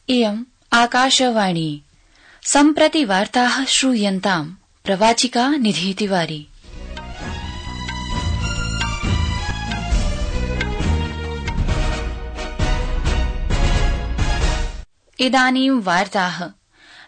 इयम् आकाशवाणी। सम्प्रति वार्ताः श्रूयन्ताम्। प्रवाचिका निधि तिवारी। इदानीं वार्ताः।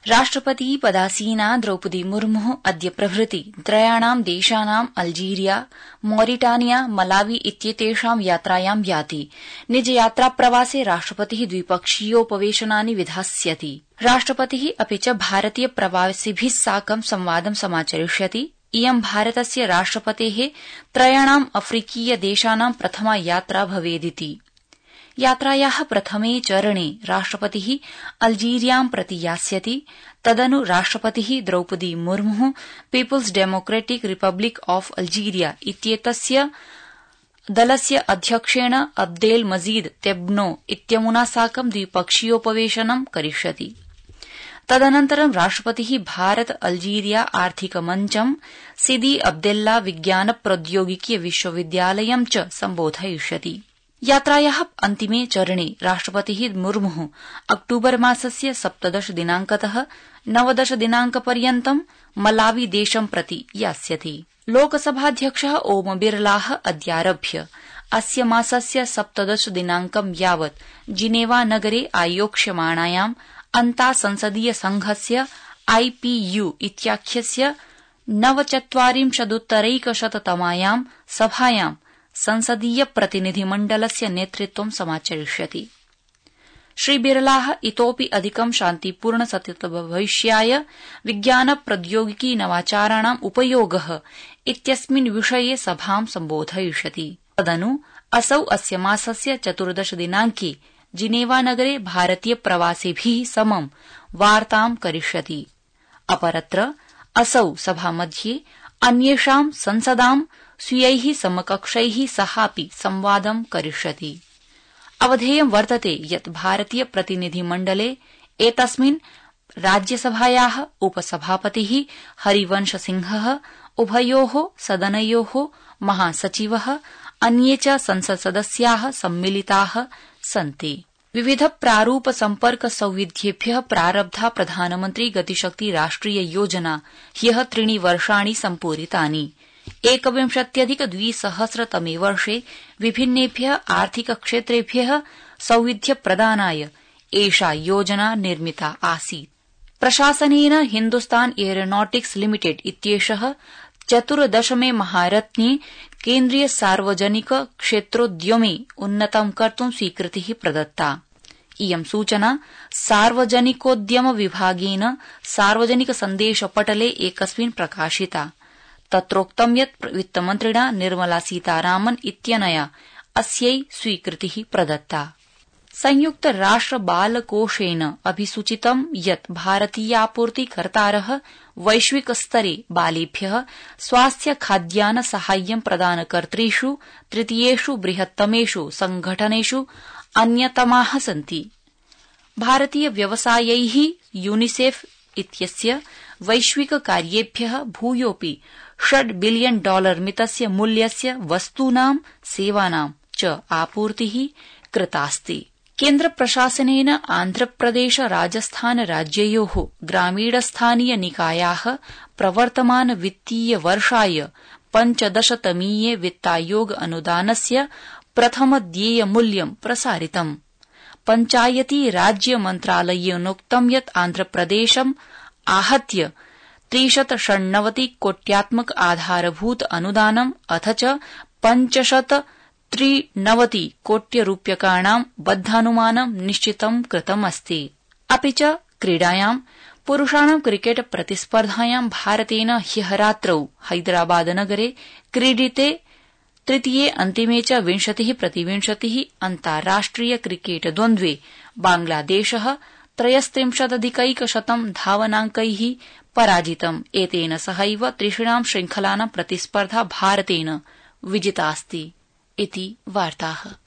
राष्ट्रपति पदासीना द्रौपदी मुर्मुः अद्य प्रभृति त्रयाणां देशानां अल्जीरिया, मॉरिटानिया, मलावी इत्येतेषां यात्रायां याति। निजयात्रा प्रवासे राष्ट्रपतिः द्विपक्षीयोपवेशनानि विधास्यति। राष्ट्रपतिः अपि च भारतीय प्रवासिभिः साकं संवादं समाचरिष्यति। इयं भारतस्य राष्ट्रपतेः त्रयाणां अफ्रीकीय देशानां प्रथमा यात्रा भवेदिति। यात्रायाः प्रथमे चरणे राष्ट्रपतिः अल्जीरियां प्रति यास्यति। तदनु राष्ट्रपतिः द्रौपदी मुर्मुः People's Democratic Republic of Algeria इत्येतस्य दलस्य अध्यक्षेण अब्देल मजीद तेब्नो इत्यमुना साकं द्विपक्षीयोपवेशनं करिष्यति। तदनन्तरं राष्ट्रपतिः भारत अल्जीरिया आर्थिक मञ्चं, सिदी अब्देल्ला विज्ञान प्रौद्योगिकी विश्वविद्यालयं च सम्बोधयिष्यति। यात्रायाः अन्तिमे चरणे राष्ट्रपतिः मुर्मुः अक्टूबर मासस्य 17 दिनांकतः 19 दिनांकपर्यन्तं मलावी देशं प्रति यास्यति। लोकसभाध्यक्षः ओम बिरलाः अद्यारभ्य अस्य मासस्य 17 दिनांकं यावत् जिनेवा नगरे आयोक्ष्यमाणायां अन्तासंसदीय संघस्य IPU इत्याख्यस्य 49-तमायां सभायां संसदीय प्रतिनिधिमण्डलस्य नेतृत्वं समाचरिष्यति। श्री बिरलाः इतोपि अधिकं शान्तिपूर्ण सततभविष्याय विज्ञान प्रौद्योगिकी नवाचाराणाम् उपयोगः इत्यस्मिन् विषये सभां सम्बोधयिष्यति। तदनु असौ अस्य मासस्य 14 दिनांके जिनेवा नगरे भारतीय प्रवासिभिः समं वार्तां करिष्यति। अपरत्र असौ सभामध्ये अन्येषां संसदां स्वीयैः समकक्षैः सहापि संवादं करिष्यति। अवधेयं वर्तते यत् भारतीय प्रतिनिधिमण्डले एतस्मिन् राज्यसभायाः उपसभापतिः हरिवंश सिंहः, उभयोः सदनयोः महासचिवः, अन्ये च संसत् सदस्याः सम्मिलिताः सन्ति। विविध प्रारूप सम्पर्क सौविध्येभ्यः प्रारब्धा प्रधानमन्त्री गतिशक्ति राष्ट्रिय योजना ह्यः 3 वर्षाणि सम्पूरितानि। 21-2000 वर्षे विभिन्नेभ्यः आर्थिक क्षेत्रेभ्यः सौविध्य प्रदानाय एषा योजना निर्मिता आसीत्। प्रशासनेन हिन्दुस्तान एयरोनॉटिक्स लिमिटेड इत्येषः 14 महारत्ने केन्द्रीय सार्वजनिक क्षेत्रोद्यमे उन्नतं कर्तुं स्वीकृतिः प्रदत्ता। इयं सूचना सार्वजनिकोद्यम विभागेन सार्वजनिक सन्देश पटले एकस्मिन् प्रकाशिता। तत्रोक्तं यत् वित्तमन्त्रिणा निर्मला सीतारामन् इत्यनया अस्यै स्वीकृतिः प्रदत्ता। संयुक्त राष्ट्र बाल कोषेन अभिसूचितं यत् भारतीयापूर्तिकर्तारः वैश्विक स्तरे बालेभ्यः स्वास्थ्य खाद्यान्न साहाय्यं प्रदानकर्तृषु तृतीयेषु बृहत्तमेषु संघटनेषु अन्यतमाः सन्ति। भारतीय व्यवसायैः यूनिसेफ इत्यस्य वैश्विक कार्येभ्यः भूयोऽपि $6 बिलियन मितस्य मूल्यस्य वस्तूनां सेवानां च आपूर्तिः कृतास्ति। केन्द्र प्रशासनेन आन्ध्रप्रदेश राजस्थान राज्ययोः ग्रामीणस्थानीय निकायाः प्रवर्तमान वित्तीय वर्षाय 15तमीये वित्तायोग अनुदानस्य प्रथम देय मूल्यं प्रसारितम्। पञ्चायती राज्य मन्त्रालयेनोक्तं यत् आन्ध्रप्रदेशम् आहत्य 396 कोट्यात्मक आधारभूत अनुदानम् अथ च 593 कोट्यरूप्यकाणां बद्धानुमानं निश्चितं कृतमस्ति। अपि च क्रीडायां पुरुषाणां क्रिकेट प्रतिस्पर्धायां भारतेन ह्यः रात्रौ हैदराबादनगरे क्रीडिते तृतीये अन्तिमे च 20-20 अन्ताराष्ट्रिय क्रिकेट द्वन्द्वे बांग्लादेशः 33+100 धावनांकैः पराजितम्। एतेन सहैव त्रिषु श्रृंखलानां प्रतिस्पर्धा भारतेन विजितास्ति। इति वार्ताः।